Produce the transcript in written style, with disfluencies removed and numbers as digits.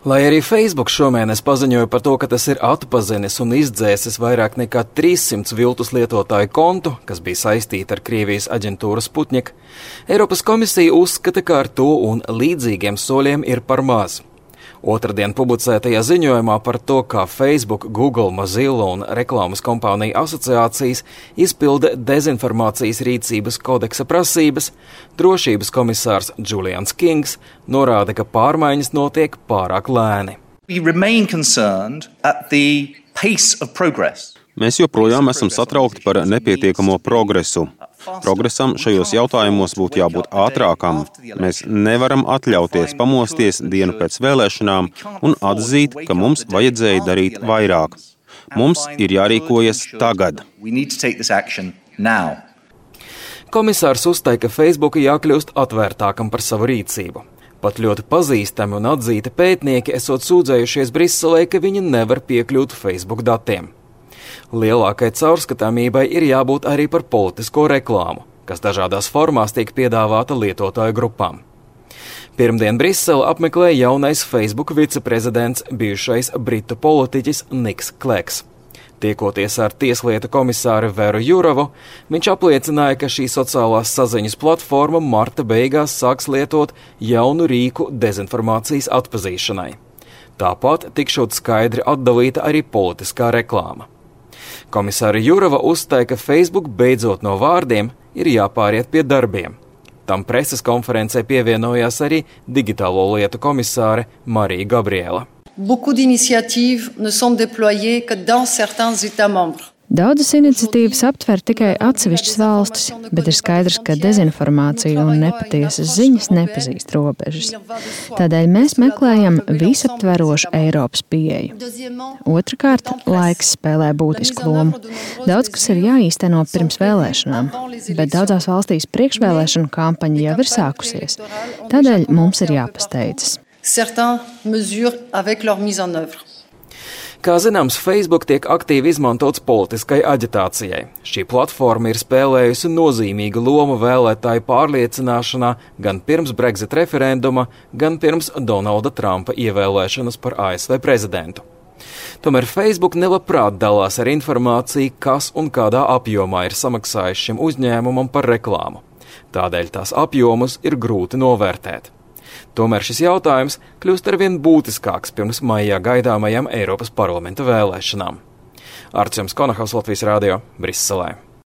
Lai arī Facebook šomēnes paziņoja par to, ka tas ir atpazinis un izdzēsis vairāk nekā 300 viltus lietotāju kontu, kas bija saistīti ar Krievijas aģentūru Sputnik, Eiropas komisija uzskata, ka ar to un līdzīgiem soļiem ir par maz. Otradien publicētajā ziņojumā par to, kā Facebook, Google, Mozilla un reklāmas kompāniju asociācijas izpilda dezinformācijas rīcības kodeksa prasības, drošības komisārs Julians Kings norāda, ka pārmaiņas notiek pārāk lēni. Mēs joprojām esam satraukti par nepietiekamo progresu. Progresam šajos jautājumos būtu jābūt ātrākam. Mēs nevaram atļauties pamosties dienu pēc vēlēšanām un atzīt, ka mums vajadzēja darīt vairāk. Mums ir jārīkojas tagad. Komisārs uzstāja, ka Facebook jākļūst atvērtākam par savu rīcību. Pat ļoti pazīstami un atzīti pētnieki esot sūdzējušies Briselē, ka viņi nevar piekļūt Facebook datiem. Lielākai caurskatāmībai ir jābūt arī par politisko reklāmu, kas dažādās formās tiek piedāvāta lietotāju grupām. Pirmdien Brisele apmeklēja jaunais Facebook viceprezidents, bijušais britu politiķis Niks Kleks. Tiekoties ar tieslietu komisāru Veru Jurovu, viņš apliecināja, ka šī sociālās saziņas platforma marta beigās sāks lietot jaunu rīku dezinformācijas atpazīšanai. Tāpat tikšot skaidri atdalīta arī politiskā reklāma. Komisāra Jurova uzstāja, ka Facebook beidzot no vārdiem ir jāpāriet pie darbiem. Tam preses konferencē pievienojās arī digitālo lietu komisāre Marija Gabriela. Beaucoup d'initiatives ne sont déployées que dans certains États membres. Daudzas iniciatīvas aptver tikai atsevišķas valstis, bet ir skaidrs, ka dezinformācija un nepatiesas ziņas nepazīst robežas. Tādēļ mēs meklējam visaptverošu Eiropas pieeju. Otrakārt, laiks spēlē būtisku lomu. Daudz kas ir jāīsteno pirms vēlēšanām, bet daudzās valstīs priekšvēlēšanu kampaņa jau ir sākusies. Tādēļ mums ir jāpasteidzas. Kā zināms, Facebook tiek aktīvi izmantots politiskai aģitācijai. Šī platforma ir spēlējusi nozīmīgu lomu vēlētāju pārliecināšanā gan pirms Brexit referenduma, gan pirms Donalda Trumpa ievēlēšanas par ASV prezidentu. Tomēr Facebook nelabprāt dalās ar informāciju, kas un kādā apjomā ir samaksājis šim uzņēmumam par reklāmu. Tādēļ tās apjomus ir grūti novērtēt. Tomēr šis jautājums kļūst arvien būtiskāks pirms maijā gaidāmajām Eiropas parlamenta vēlēšanām. Artjoms Konahaus, Latvijas radio, Briselē.